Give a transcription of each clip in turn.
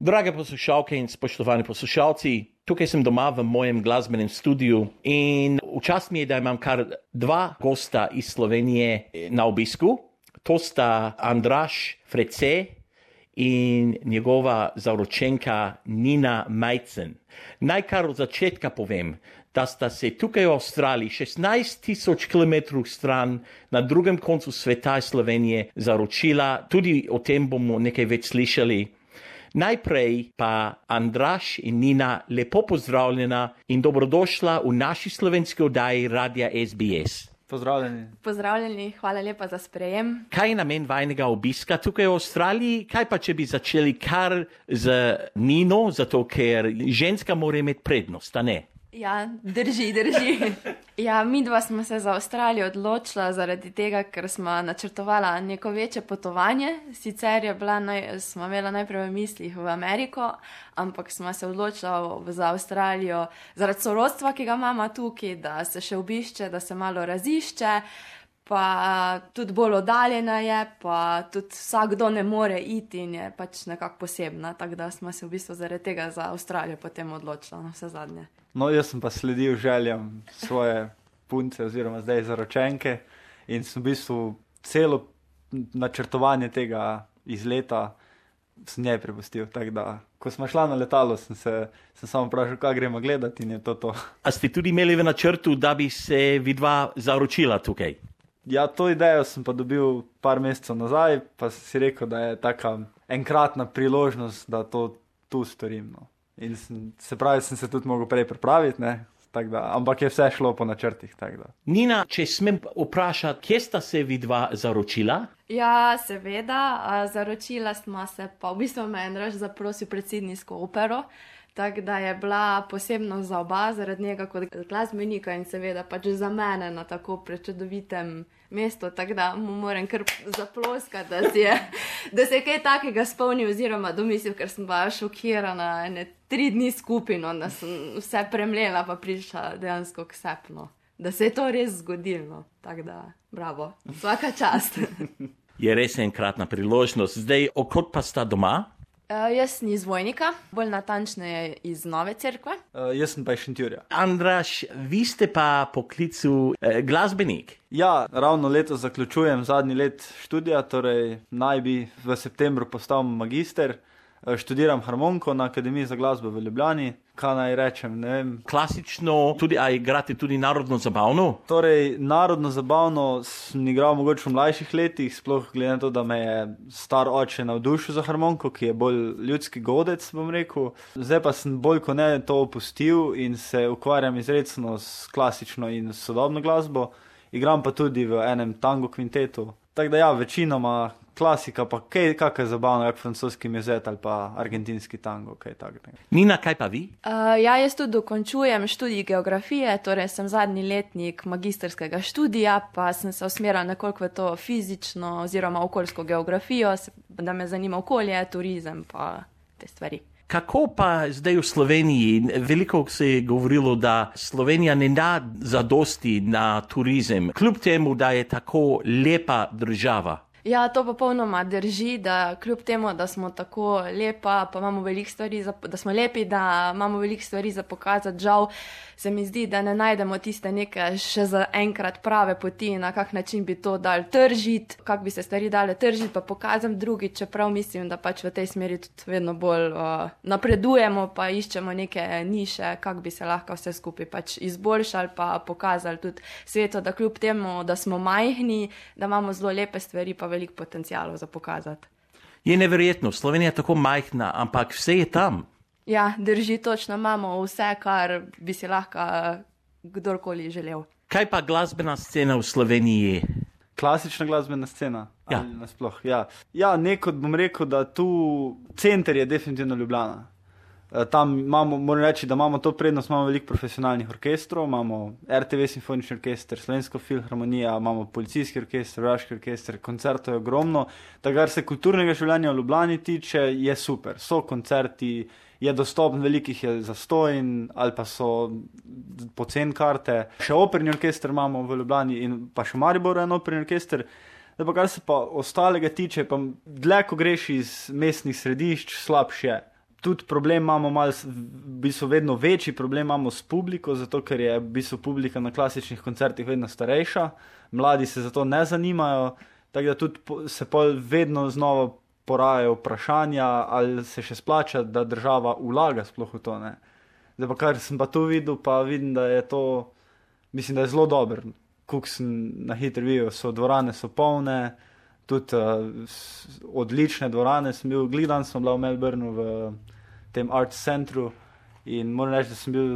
Drage poslušalke in spoštovani poslušalci, tukaj sem doma v mojem glasbenem studiu in v čast mi je, da imam kar dva gosta iz Slovenije na obisku. To sta Andraž Frece in njegova zaročenka Nina Majcen. Naj kar od začetka povem, da sta se tukaj v Avstraliji 16,000 km stran na drugem koncu sveta Slovenije zaročila. Tudi o tem bomo nekaj več slišali. Najprej pa Andraž in Nina, lepo pozdravljena in dobrodošla v naši slovenski oddaji Radia SBS. Pozdravljeni. Pozdravljeni, hvala lepa za sprejem. Kaj je namen vajnega obiska tukaj v Avstraliji? Kaj pa, če bi začeli kar z Nino, zato ker ženska mora imeti prednost, a ne? Ja, drži. Ja, midva smo se za Avstralijo odločila zaradi tega, ker smo načrtovala neko večje potovanje. Sicer smo imela najprej v mislih v Ameriko, ampak smo se odločila za Avstralijo zaradi sorodstva, ki ga imamo tukaj, da se še obišče, da se malo razišče, pa tudi bolj oddaljena je, pa tudi vsakdo ne more iti in je pač nekako posebna, tako da smo se v bistvu zaradi tega za Avstralijo potem odločila na vse zadnje. No, jaz sem pa sledil željam svoje punce oziroma zdaj zaročenke in sem v bistvu celo načrtovanje tega izleta sem njej prepustil, tako da ko smo šla na letalo, sem samo vprašal, kaj gremo gledati in je to. A ste tudi imeli v načrtu, da bi se vidva zaročila tukaj? Ja, to idejo sem pa dobil par mesecev nazaj, pa sem si rekel, da je taka enkratna priložnost, da to tu storim, no. In sem se tudi mogel prej pripraviti, ne, tako da, ampak je vse šlo po načrtih, tako da. Nina, če smem vprašati, kje sta se vidva zaročila? Ja, seveda, zaročila smo se, pa v bistvu me je Andraž zaprosil pred Sydneysko opero, tako da je bila posebno za oba, zaradi njega kot glasbenika in seveda pač za mene na tako prečudovitem mestu, tako da mu moram kar zaploskati, da se je kaj takega spomnil oziroma domislil, ker sem bila šokirana 3 dni skupaj, no, da sem vse premlela pa prišla dejansko k sepno, da se je to res zgodilo, tako da bravo, vsaka čast. Je res enkratna priložnost. Zdaj, okot pa sta doma? Jaz sem iz Vojnika, bolj natančneje iz Nove Cerkve. Jaz sem pa iz Šentjurja. Andraž, vi ste pa poklicu glasbenik. Ja, ravno letos zaključujem zadnji let študija, torej naj bi v septembru postal magister. Študiram harmoniko na Akademiji za glasbo v Ljubljani. Kaj naj rečem, ne vem. Klasično, a igrate tudi narodno zabavno? Torej, narodno zabavno sem igral mogoče v mlajših letih, sploh glede na to, da me je star oče navdušil za harmoniko, ki je bolj ljudski godec, bom rekel. Zdaj pa sem bolj kot ne to opustil in se ukvarjam izrecno s klasično in sodobno glasbo. Igram pa tudi v enem tango kvintetu. Tako da ja, večinoma klasika, pa kakaj zabavno, jak francoski mezet ali pa argentinski tango, kaj takega. Nina, kaj pa vi? Ja, jaz tudi dokončujem študij geografije, torej sem zadnji letnik magistrskega študija, pa sem se usmerila nekoliko v to fizično oziroma okoljsko geografijo, da me zanima okolje, turizem pa te stvari. Kako pa zdaj v Sloveniji? Veliko se je govorilo, da Slovenija ne da zadosti na turizem, kljub temu, da je tako lepa država. Ja, to popolnoma drži, da kljub temu, da smo tako lepa, pa imamo veliko stvari, da smo lepi, da imamo veliko stvari za pokazati, žal se mi zdi, da ne najdemo tiste neke še za enkrat prave poti, na kak način bi to dali tržiti, kak bi se stvari dale tržiti, pa pokazam drugi, čeprav mislim, da pač v tej smeri tudi vedno bolj napredujemo, pa iščemo neke niše, kak bi se lahko vse skupaj pač izboljšali, pa pokazali tudi svetu, da kljub temu, da smo majhni, da imamo zelo lepe stvari, pa veliko potencialov za pokazati. Je neverjetno, Slovenija je tako majhna, ampak vse je tam. Ja, drži, točno imamo vse, kar bi si lahko kdorkoli želel. Kaj pa glasbena scena v Sloveniji? Klasična glasbena scena? Ja. Ali nasploh? Ja, nekod bom rekel, da tu center je definitivno Ljubljana. Tam moram reči, da imamo to prednost, imamo veliko profesionalnih orkestrov, imamo RTV simfonični orkester, Slovensko filharmonija, imamo policijski orkester, vojaški orkester, koncertov je ogromno. Da kar se kulturnega življenja v Ljubljani tiče, je super. So koncerti, je dostopen, velikih je zastojn ali pa so poceni karte. Še operni orkester imamo v Ljubljani in pa še v Mariboru en operni orkester. Da pa kar se pa ostalega tiče, pa dlje, ko greš iz mestnih središč, slabše je. Tudi problem imamo v bistvu vedno večji problem imamo s publiko, zato ker je v bistvu publika na klasičnih koncertih vedno starejša, mladi se za to ne zanimajo, tako da tudi se pol vedno znova porajajo vprašanja, ali se še splača, da država vlaga sploh v to, ne. Zdaj pa kar sem pa tu videl, pa vidim, da je to, mislim, da je zelo dober. Kuk sem na hitro videl, dvorane so polne, tudi odlične dvorane sem bil, gledan sem bila v Melbourneu v tem Arts Centru in moram reči, da sem bil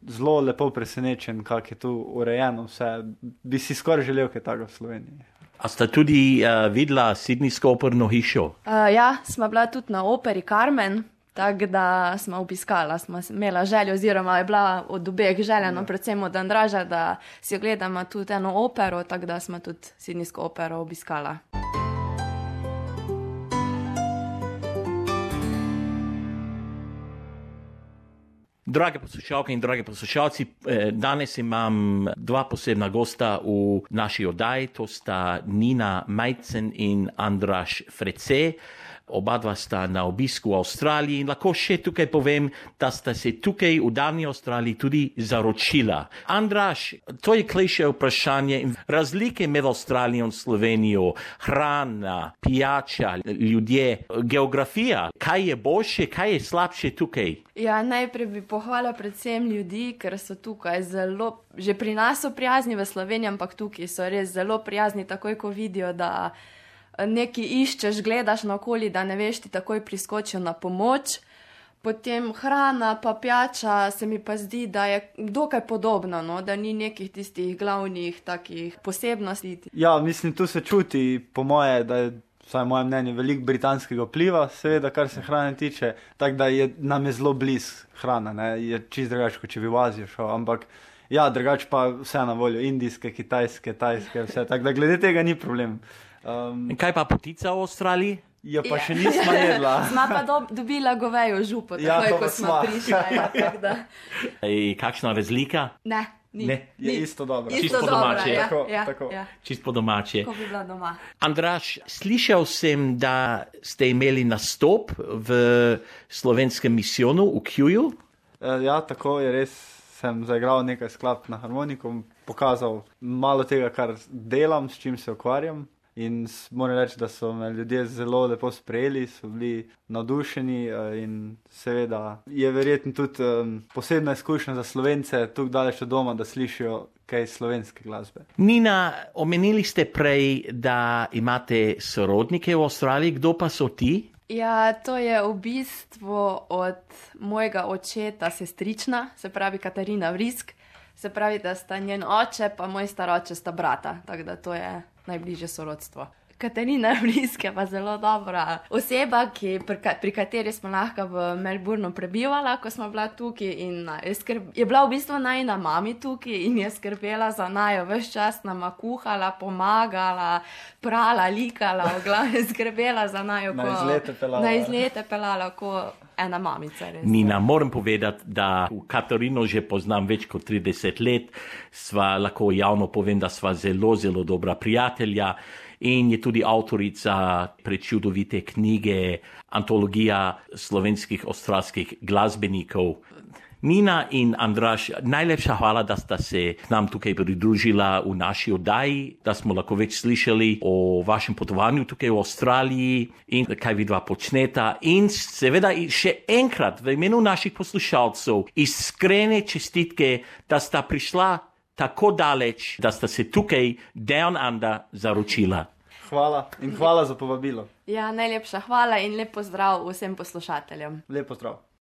zelo lepo presenečen, kako je tu urejeno vse. Bi si skoraj želel kaj tako v Sloveniji. A sta tudi videla Sydneysko operno hišo? Ja, smo bila tudi na operi Carmen, tako da smo obiskala, smo imela željo, oziroma je bila od obeh željeno, predvsem od Andraža, da si ogledamo tudi eno opero, tako da smo tudi Sydneysko opero obiskala. Drage poslušalke in dragi poslušalci, danes imam dva posebna gosta v naši oddaji, to sta Nina Majcen in Andraž Frece. Oba dva sta na obisku v Avstraliji in lahko še tukaj povem, da sta se tukaj v davni Avstraliji tudi zaročila. Andraž, to je klišé vprašanje. Razlike med Avstralijo in Slovenijo, hrana, pijača, ljudje, geografija. Kaj je boljše, kaj je slabše tukaj? Ja, najprej bi pohvala predvsem ljudi, ker so tukaj zelo, že pri nas so prijazni v Sloveniji, ampak tukaj so res zelo prijazni, takoj ko vidijo, da nekaj iščeš, gledaš naokoli, da ne veš, ti takoj priskočijo na pomoč. Potem hrana pa pijača se mi pa zdi, da je dokaj podobno, no? Da ni nekih tistih glavnih takih posebnosti. Ja, mislim, tu se čuti, po moje, da je, vsaj moje mnenje, veliko britanskega vpliva, seveda, kar se hrane tiče, tako da nam je zelo bliz hrana, ne? Je čisto drugače, kot če bi v Azijo šel, ampak ja, drugače pa vse na voljo, indijske, kitajske, tajske, vse, tako da glede tega ni problem. Kaj pa potica v Avstraliji? Ja, pa še nismo jedla. Sma pa dobila govejo župo, takoj, ko smo prišla. Ja, tako da. Kakšna razlika? Ne, ni. Je isto dobro. Isto po domače. Ja, tako. Ja. Čist po domače. Ko bi bila doma. Andraž, slišal sem, da ste imeli nastop v slovenskem misijonu v Kewu. Ja, tako je res. Sem zaigral nekaj skladb na harmoniku, pokazal malo tega, kar delam, s čim se ukvarjam. In moram reči, da so me ljudje zelo lepo sprejeli, so bili navdušeni in seveda je verjetno tudi posebna izkušnja za Slovence tukaj daleč od doma, da slišijo kaj slovenske glasbe. Nina, omenili ste prej, da imate sorodnike v Avstraliji, kdo pa so ti? Ja, to je v bistvu od mojega očeta sestrična, se pravi Katarina Vrisk, se pravi, da sta njen oče pa moj staroče sta brata, tako da to je najbližje sorodstvo. Katarina Vrisk je pa zelo dobra oseba, pri kateri smo lahko v Melbourneu prebivala, ko smo bila tukaj in je bila v bistvu najina mami tukaj in je skrbela za najo, ves čas nama kuhala, pomagala, prala, likala, v glavnem skrbela za najo, na izlete pelala, ko ena mamica. Res. Nina, moram povedati, da Katarino že poznam več kot 30 let, lahko javno povem, da sva zelo, zelo dobra prijatelja. In je tudi avtorica prečudovite knjige Antologija slovenskih avstralskih glasbenikov. Nina in Andraž, najlepša hvala, da sta se nam tukaj pridružila v naši oddaji, da smo lahko več slišali o vašem potovanju tukaj v Avstraliji in kaj vidva počneta. In seveda še enkrat v imenu naših poslušalcev iskrene čestitke, da sta prišla tako daleč, da sta se tukaj Down Under zaročila. Hvala in hvala za povabilo. Ja, najlepša hvala in lep pozdrav vsem poslušateljem. Lep pozdrav.